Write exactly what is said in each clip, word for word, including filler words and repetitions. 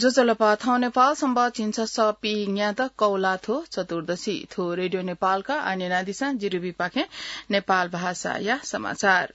ज्वजलपा, थौं नेपाल संवत् झिंछसः पीन्यादँ कौलाथ्व चतुर्दशी। थ्व रेडियो नेपालया आः न्यनादिसँ, जिरिबीपाखें नेपाल भाषाया समाचार।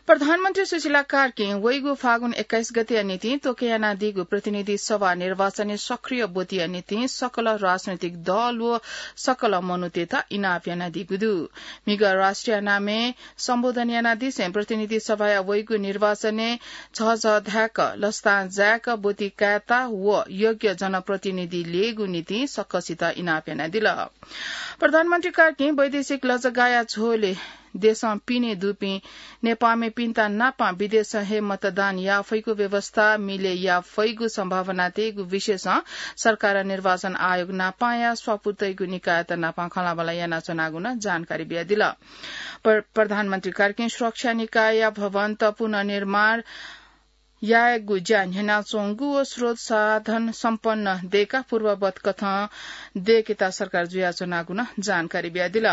प्रधानमन्त्री सुशीला कार्कीं वइगु फागुन एक्काइस गतेया निंतिं तोके यानादीगु प्रतिनिधि सभा निर्वाचनय् सक्रिय ब्वतिया निंतिं सकल राजनैतिक दल व सकल मनूतय्त इनाप यानादीगु दु। म्हिगः राष्ट्रिय नामय् सम्बोधन यानादिसें प्रतिनिधि सभाया वइगु निर्वाचनय् झःझः धाय्क, लसतां जाय्क ब्वति कायेत व योग्य जनप्रतिनिधि ल्ययेगु निंतिं सकसित इनाप यानादिल। प्रधानमन्त्री कार्कीं वैदेशिक लजगाःया झ्वलय् देशं पिने दुपिं नेपाःमिपिन्त नापं विदेशं हे मतदान याः फइगु व्यवस्था मिले याः फइगु सम्भावना तयेगु विषयसं सरकारं निर्वाचन आयोग नापंया स्वापू तइगु निकायत नापं खँल्हाबल्हा यानाच्वनागु नं जानकारी बियादिल। प्र-, प्रधानमन्त्री कार्कीं सुरक्षा निकायया भवनत पुनर्निर्माण यायेगु ज्या न्ह्यानाच्वंगु व स्रोत साधन सम्पन्न दय्काः पूर्ववत कथं दय्केत सरकार जुयाच्वनागु नं जानकारी बियादिल।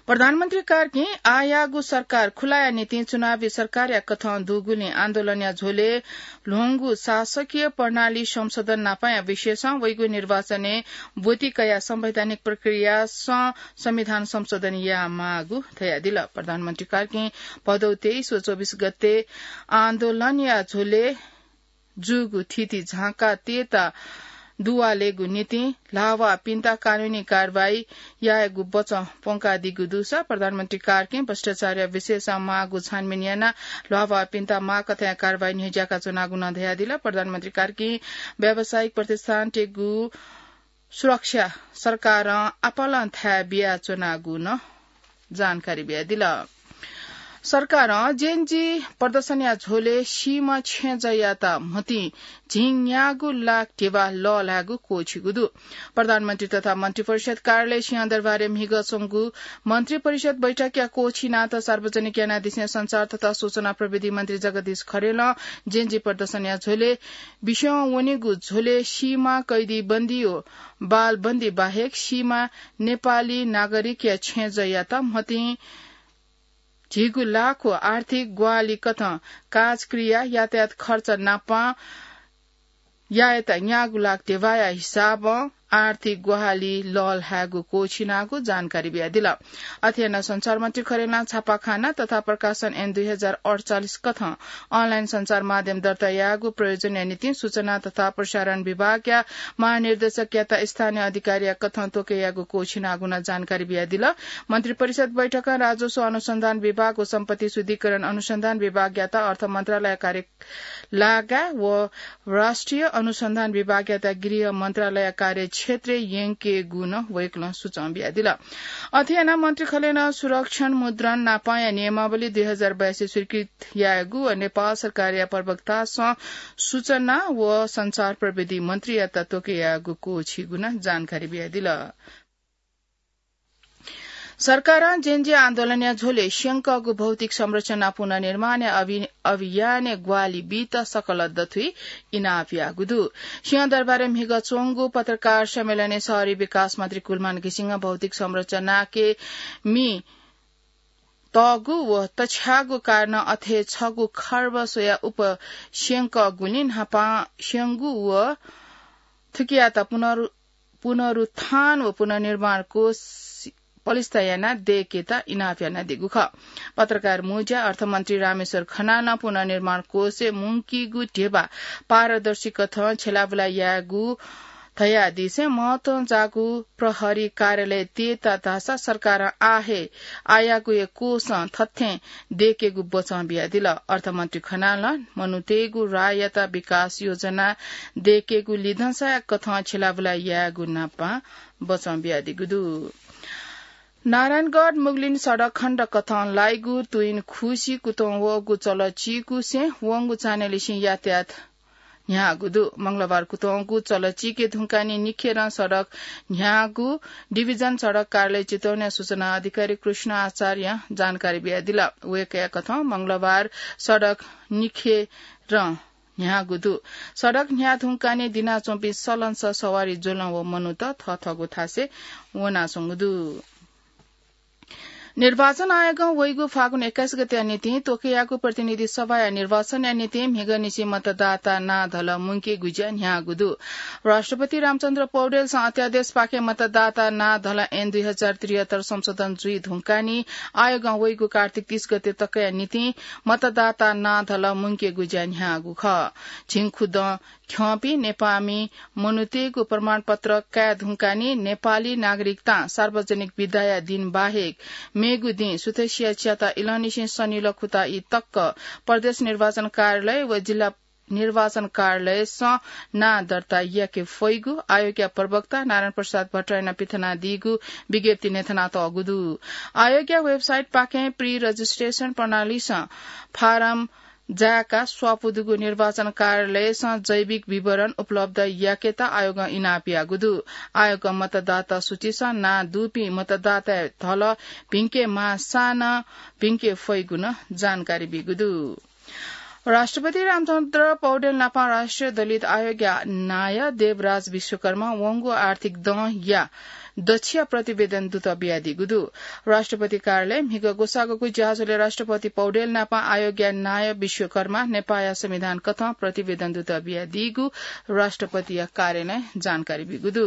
प्रधानमन्त्री कार्कीं आःयाःगु सरकार खुलाया निंतिं चुनावी सरकारया कथं दुगुलिं आन्दोलनया झ्वलय् ल्ह्वंगु शासकीय प्रणाली संशोधन नापंया विषयसं वइगु निर्वाचनय् ब्वति कयाः संवैधानिक प्रक्रियासं संविधान संशोधन यायेमाःगु धयादिल। प्रधानमन्त्री कार्कीं भदौ तेइस व चौबिस गते आन्दोलनया झ्वलय् जूगु थिति झांका तयेत दुवालेगु निंतिं ल्हाःवाःपिन्त कानूनी कारवाही यायेगु वचं प्वंकादीगु दुसा प्रधानमन्त्री कार्कीं भ्रष्टाचारया विषयसं माःगु छानबिन यानाः ल्हाःवाःपिन्त माःकथंया कारवाही न्ह्यज्याकाच्वनागु नं धयादिल। प्रधानमन्त्री कार्कीं व्यावसायिक प्रतिष्ठानतय्गु सुरक्षा सरकारं आपालं थाय् बियाच्वनागु नं जानकारी बियादिल। सरकारं जेनजी प्रदर्शनया झ्वलय् सीम्ह छेँजःयात म्हतिं झिंन्यागू लाख ध्यबा लःल्हायेगु क्वःछिगु दु। प्रधानमन्त्री तथा मन्त्रिपरिषद कार्यालय सिंहदरबारय् म्हिगः च्वंगु मन्त्रिपरिषद बैठकया क्वःछिनात सार्वजनिक यानादिसें सञ्चार तथा सूचना प्रविधि मन्त्री जगदीश खरेलं जेनजी प्रदर्शनया झ्वलय् बिस्युं वनीगु झ्वलय् सीमा कैदी बन्दी व बालबन्दी बाहेक सीमा नेपाली नागरिकया छेँजःयात म्हतिं झिगू लाख व आर्थिक ग्वाहालि कथं काजक्रिया, यातायात खर्च नापं यायेत न्यागू लाख ध्यबाया हिसाबं आर्थिक ग्वाहालि लःल्हायेगु क्वःछिनागु जानकारी बियादिल। अथे यानाः सञ्चार मन्त्री खरेलं छापाखाना तथा प्रकाशन ऐन दुई हजार अठचालिस कथं अनलाइन सञ्चार माध्यम दर्ता यायेगु प्रयोजनया निंतिं सूचना तथा प्रसारण विभागया महानिर्देशकयात स्थानीय अधिकारीया कथं तोके यायेगु क्वःछिनागु नं जानकारी बियादिल। मन्त्रिपरिषद बैठकं राजस्व अनुसन्धान विभाग व सम्पत्ति शुद्धिकरण अनुसन्धान विभागयात अर्थ मन्त्रालय कार्य लागाय् व राष्ट्रिय अनुसन्धान विभागयात गृह मन्त्रालय कार्यक्षेत्रय् यंकेगु नं वय्कलं सुचं बियादिल। अथे यानाः मन्त्री खरेलं सुरक्षण मुद्रण नापंया नियमावली दुई हजार बयासी स्वीकृत यायेगु व नेपाल सरकारया प्रवक्तासं सूचना व सञ्चार प्रविधि मन्त्रीयात तोके यायेगु क्वःछिगु नं जानकारी बियादिल। सरकारं जेनजी आन्दोलनया झ्वलय् स्यंकःगु भौतिक संरचना पुनर्निर्माणया अभि-, अभियानय् ग्वाहालि बीत सकल दथुइ इनाप याःगु दु। सिंहदरबारय् म्हिगः च्वंगु पत्रकार सम्मेलनय् शहरी विकास मन्त्री कुलमान घिसिङं भौतिक संरचनाके मि तःगु व तछ्याःगु कारणं अथे छगू खर्ब स्वयाः उप स्यंकःगुलिं न्हापां स्यंगु व थुकियात पुनरु-, पुनरुत्थान व पुनर्निर्माण कोष पलिस्था यानाः दय्केत इनाप यानादीगु खः। पत्रकार मुँज्या अर्थमन्त्री रामेश्वर खनालं पुनर्निर्माण कोषय् मुंकीगु ध्यबा पारदर्शी कथं छ्यलाबुला यायेगु धयादिसें महत्वं जाःगु प्रहरी कार्यालय तयेत धाःसा सरकारं आः हे आःयागु हे कोषं थथें दय्केगु बचं बियादिल। अर्थमन्त्री खनालं मनूतय्गु राःयात विकास योजना दय्केगु लिधंसाया कथं छ्यलाबुला यायेगु नापं बचं बियादीगु दु। नारायणगढ मुगलिन सडक खण्ड कथं लाइगु तुइन खुसि कुतुं वःगु चलचिकुसे वंगु चान्हय्लिसें यातायात न्ह्याःगु दु। मंगलबार कुतुंगु चलचिके धुंकाने निखेरं सडक न्ह्याःगु डिभिजन सडक कार्यालय चितवनया सूचना अधिकारी कृष्ण आचार्यं जानकारी बियादिल। वय्कःया कथं मंगलबार सडक निखेरं न्ह्याःगु दु। सडक न्ह्याः धुंकाने दिनाच्वंपिं सलंसः सवारी ज्वलं व मनूत थःथःगु थासय् वनाच्वंगु दु। निर्वाचन आयोगं वइगु फागुन एक्काइस गतेया निंतिं तोकेयागु प्रतिनिधि सभाया निर्वाचनया निंतिं म्हिगःनिसें मतदाता नां धल मुंकेगु ज्या न्ह्याःगु दु। राष्ट्रपति रामचन्द्र पौडेलसं अध्यादेशपाखें मतदाता नां धल ऐन दुई हजार त्रिहत्तर संशोधन जुइ धुंकाः नि आयोगं वइगु कार्तिक तीस गते तकया निंतिं मतदाता नां धल मुंकेगु ज्या न्ह्याःगु खः। झिंखुदँ ख्यंपिं नेपाःमि मनूतय्गु प्रमाणपत्र काये धुंकाः नि नेपाली नागरिकतां सार्वजनिक बिदाया दिन बाहेक मेगु दिं सुथसिया च्याता इलंनिसें सनिलः खुता ई तक प्रदेश निर्वाचन कार्यालय व जिल्ला निर्वाचन कार्यालयसं नां दर्ता याके फइगु आयोगया प्रवक्ता नारायण प्रसाद भट्टराईं पिथनादीगु विज्ञप्ति न्ह्यथनातःगु दु। आयोगया website पाखें pre registration प्रणालीसं फारम जाय्का स्वापू दुगु निर्वाचन कार्यालयसं जैविक विवरण उपलब्ध याकेत आयोगं इनाप याःगु दु। आयोगं मतदाता सूचीसं नां दुपिं मतदाताया धल भिंके माःसां नं भिंके फइगु नं जानकारी बीगु दु। राष्ट्रपति रामचन्द्र पौडेल नापं राष्ट्रिय दलित आयोगया नायः देवराज विश्वकर्मा वंगु आर्थिक दँया दछिया प्रतिवेदन दुत बियादीगु दु। राष्ट्रपति कार्यालय म्हिगः ग्वसाःगु ज्याझ्वलय् राष्ट्रपति पौडेल नापं आयोगया नायः विश्वकर्मा नेपाःया संविधान कथं प्रतिवेदन दुत बियादीगु राष्ट्रपतिया कार्यालयं जानकारी बीगु दु।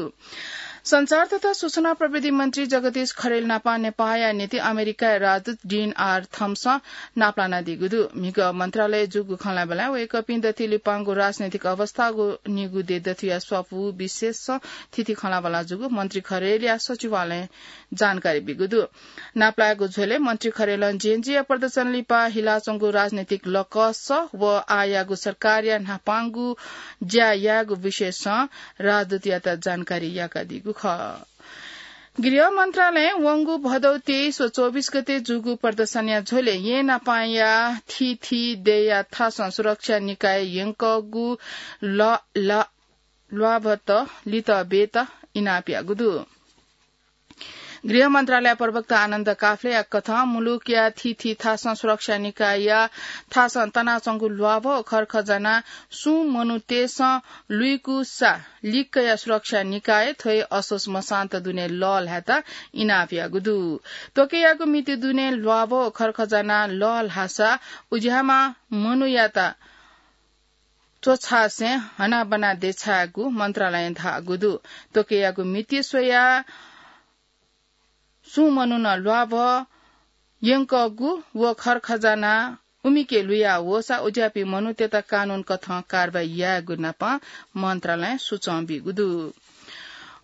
सञ्चार तथा सूचना प्रविधि मन्त्री जगदीश खरेल नापं नेपाःया निंतिं अमेरिकाया राजदूत डिन आर थम्सं नापलानादीगु दु। म्हिगः मन्त्रालयय् जूगु खँल्हाबल्हाय् वय्कःपिं दथुइ लिपांगु राजनैतिक अवस्थागु निगू देय् दथुया स्वापू विशेषं थीथी खँल्हाबल्हा जूगु मन्त्री खरेलया सचिवालयं जानकारी बीगु दु। नापलायेगु झ्वलय् मन्त्री खरेलं जेएनजीया प्रदर्शन लिपा हिलाच्वंगु राजनैतिक लकस व आःयागु सरकारया न्हापांगु ज्या यायेगु विषयसं राजदूतयात जानकारी याकादीगु खः। गृह मन्त्रालयं वंगु भदौ तेइस व चौबिस गते जूगु प्रदर्शनया झ्वलय् येँय् नापंया थीथी देय्‌या थासं सुरक्षा निकाय यंकःगु ल-, ल-, ल्वाभत लित बेत इनाप याःगु दु। गृह मन्त्रालय प्रवक्ता आनन्द काफ्लेया कथं मुलुकया थीथी थासं सुरक्षा निकायया थासं तनाच्वंगु ल्वाभः खर्खजाना सुं मनूतय्‌सं लुइकूसा लिक्कया सुरक्षा निकाय थ्वय् असोज मसान्त दुने लःल्हायेत इनाप याःगु दु। तोकेयागु मिति दुने ल्वाभः खर्खजाना लःल्हाःसा उज्याःम्ह मनूयात च्वछासें हनाबना देछायेगु मन्त्रालयं धाःगु दु। तोकेयागु मिति स्वयाः सुं मनुखं ल्वाभः यंकःगु व खर्खजाना उमिके लुया वःसा उज्याःपिं मनूतय्‌त कानून कथं कारवाही यायेगु नापं मन्त्रालयं सुचं बीगु दु।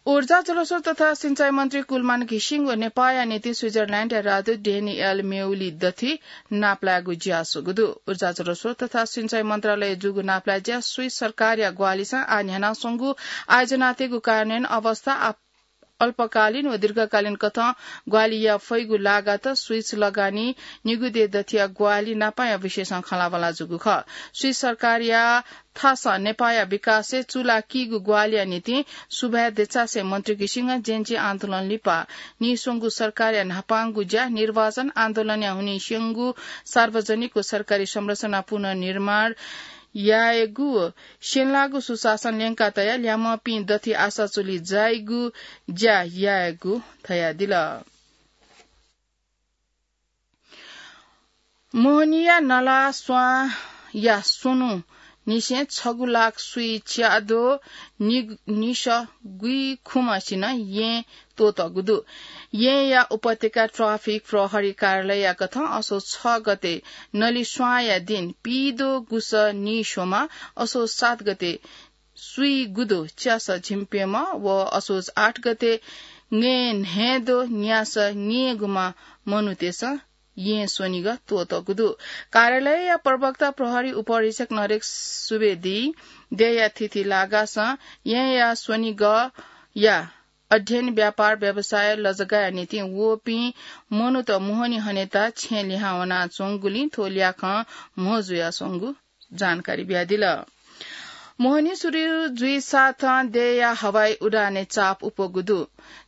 ऊर्जा, जलस्रोत तथा सिंचाई मन्त्री कुलमान घिसिङ व नेपाःया निंतिं स्विजरल्याण्डया राजदूत डेनियल मेउली दथुइ नापलायेगु ज्या स्वःगु दु। ऊर्जा, जलस्रोत तथा सिंचाई मन्त्रालयय् जूगु नापलाये ज्या स्विस सरकारया ग्वाहालिसं आः न्ह्यानाच्वंगु आयोजनातय्‌गु कार्यान्वयन अवस्था, अल्पकालीन व दीर्घकालीन कथं ग्वाहालि याये फइगु लागात स्विस लगानी निगू देय् दथुया ग्वाहालि नापंया विषयसं खँल्हाबल्हा जूगु खः। स्विस सरकारया थासं नेपाःया विकासय् चूलाकीगु ग्वाहालिया निंतिं सुभाय् देछासें मन्त्री घिसिङं जेएनजी आन्दोलन लिपा नीस्वंगु सरकारया न्हापांगु ज्या निर्वाचन आन्दोलनया हुनिं स्यंगु सार्वजनिक व सरकारी संरचना पुनर्निर्माण यायेगु व स्यंलाःगु सुशासन ल्यंका तयाः ल्याय्म्हपिं दथुइ आशा चुलि जाइगु ज्या यायेगु धयादिल। मोहनीया नला स्वांया स्वन्हु निसें छगू लाख स्वीच्याद्वः नि-, निसः गुइखुम्हसिनं येँ त्वःतःगु दु। येँया उपत्यका ट्राफिक प्रहरी कार्यालयया कथं असोज छ गते नलिस्वांया दिं पीद्वः गुसः निस्वम्ह, असोज सात गते स्वीगुद्वः च्यासः झिंप्यम्ह व असोज आठ गते नय्न्हय्द्वः न्यासः नयेगुम्ह मनूतय्सं येँ स्वनिगः त्वःतःगु दु। कार्यालयया प्रवक्ता प्रहरी उपरीक्षक नरेश सुवेदीं देय्या थीथी लागासं येँया स्वनिगःया अध्ययन, व्यापार, व्यवसाय, लजगाःया निंतिं वःपिं मनूत मोहनी हनेत छेँ लिहां वनाच्वंगुलिं थ्व ल्याखं म्हो जुयाच्वंगु जानकारी बियादिल। मोहनी सुरु जुइ साथं देय्‌या हवाई उडाने चाप उप्वःगु दु।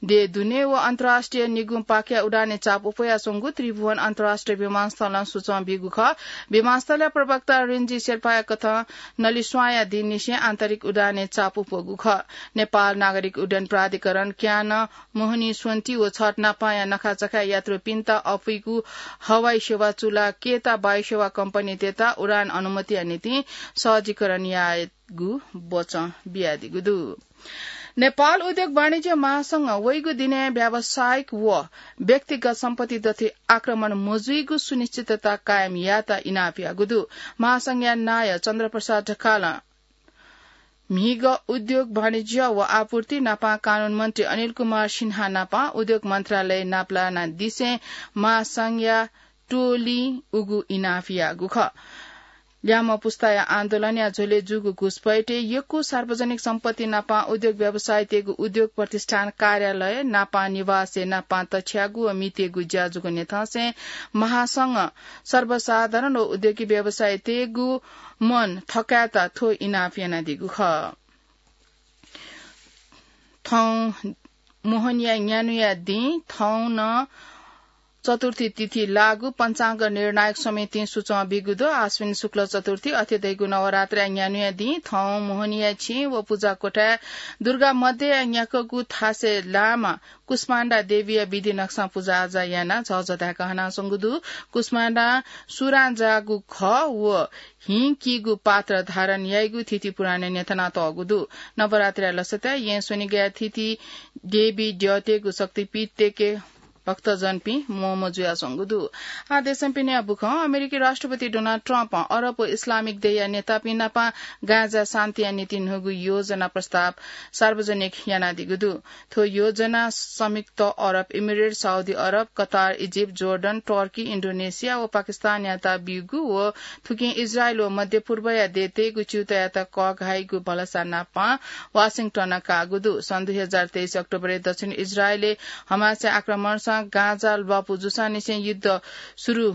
देय् दुने व अन्तर्राष्ट्रिय निगुं पाखेया उडाने चाप उप्वयाच्वंगु त्रिभुवन अन्तर्राष्ट्रिय विमानस्थलं सूचं ब्यूगु खः। विमानस्थलया प्रवक्ता रिन्जी शेर्पाया कथं नलिस्वांया दिंनिसें आन्तरिक उडाने चाप उप्वःगु खः। नेपाल नागरिक उड्डयन प्राधिकरण क्यानं मोहनी स्वन्ति व छठ नापांया नखाचखाय् यात्रुपिन्त अपुइगु हवाई सेवा चुला केता वायुसेवा कम्पनीतय्‌त उडान अनुमतिया निंतिं सहजीकरण यायेगु वचं बियादीगु दु। नेपाल उद्योग वाणिज्य महासंघं वइगु दिनय् व्यावसायिक व व्यक्तिगत सम्पत्ति दथुइ आक्रमण मजुइगु सुनिश्चितता कायम यायेत इनाप याःगु दु। महासंघया नायः चन्द्रप्रसाद ढकालं म्हिगः उद्योग वाणिज्य व आपूर्ति नापं कानून मन्त्री अनिल कुमार सिन्हा नापं उद्योग मन्त्रालय नापलानादिसें महासंघया टोलिं उगु इनाप याःगु खः। ल्याम्ह पुस्ताया आन्दोलनया झ्वलय् जूगु घुसपैठय् यक्व सार्वजनिक सम्पत्ति नापं उद्योग व्यवसायीतय्‌गु उद्योग प्रतिष्ठान कार्यालय नापं निवासय् नापं तछ्याःगु व म्हितेगु ज्या जूगु न्ह्यथंसें महासंघं सर्वसाधारण व उद्योगी व्यवसायीतय्‌गु मन थकायेत थ्व इनाप यानादीगु खः। थौं मोहनीया न्यान्हुया दिं थौं नं चतुर्थी तिथि लागू पञ्चाङ्ग निर्णायक समितिं सूचं ब्यूगु दु। आश्विन शुक्ल चतुर्थी अथे धइगु नवरात्रया न्यान्हुया दिं थौं मोहनीया छेँ व पुजा कोठाय् दुर्गा मध्यया न्याकूगु थासय् लामा कुष्माण्डा देवीया विधि नक्सां पुजाआजा यानाः झःझः धायेक हनाच्वंगु दु। कुष्माण्डां सुरां जाःगु घः व हिं कीगु पात्र धारण याइगु थीथी पुराणय् न्ह्यथनातःगु दु। नवरात्रया लसताय् येँ स्वनिगया थीथी देवी द्यःतय्‌गु शक्तिपीठतय्‌के भक्तजनपिं म्वःम्वः जुयाच्वंगु दु। आः देशं पिनेया बुखँ। अमेरिकी राष्ट्रपति डोनाल्ड ट्रम्पं अरब व इस्लामिक देय्‌या नेतापिं नापं गाजाया शान्तिया निंतिं न्हूगु योजना प्रस्ताव सार्वजनिक यानादीगु दु। थ्व योजना संयुक्त अरब इमिरेट, साउदी अरब, कतार, इजिप्ट, जोर्डन, टर्की, इन्डोनेसिया व पाकिस्तानयात ब्यूगु व थुकिं इजरायल व मध्यपूर्वया देय्‌तय्‌गु च्यूतायात कःघाइगु भलसा नापं वाशिंटनं काःगु दु। सन् दुई हजार तेइस अक्टोबरय् दक्षिण इजरायलय् हमासया आक्रमणसं गाजा ल्वापु जूसांनिसें युद्ध सुरु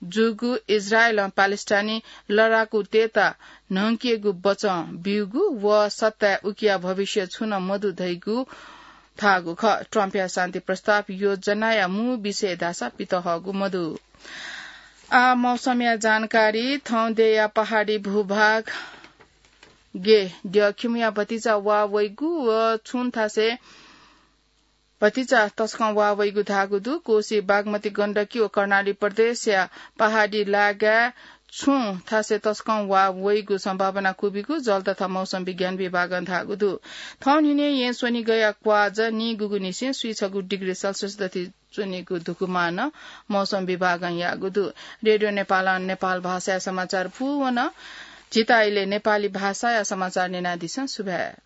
जूगु इजरायलं प्यालेस्टाइनी लडाकुतय्‌त न्हंकेगु वचं ब्यूगु व सत्ताय् उकिया भविष्य छुं नं मदु धइगु धाःगु खः। ट्रम्पया शान्ति प्रस्ताव योजनाया मू विषय धाःसा पित हःगु मदु। आः मौसमया जानकारी। थौं देय्‌या पहाडी भूभागय् द्यःखिमुया भतिचा वा वइगु व छुं थासय् भतिचा तसकं वा वइगु धाःगु दु। कोशी, बागमती, गण्डकी व कर्णाली प्रदेशया पहाडी लागाय् छुं थासय् तसकं वा वइगु सम्भावना क्वबिगु जल तथा मौसम विज्ञान विभागं धाःगु दु। थौं न्हिनय् येँ स्वनिगया क्वाःजा नीगूगुनिसें स्वीछगू डिग्री सेल्सियस दथुइ च्वनीगु धुकुमानं मौसम विभागं याःगु दु। रेडियो नेपालं नेपाल भाषाया समाचार पूवन। झीत इलय् नेपाली भाषाया समाचार न्यनादिसँ। सुभाय्।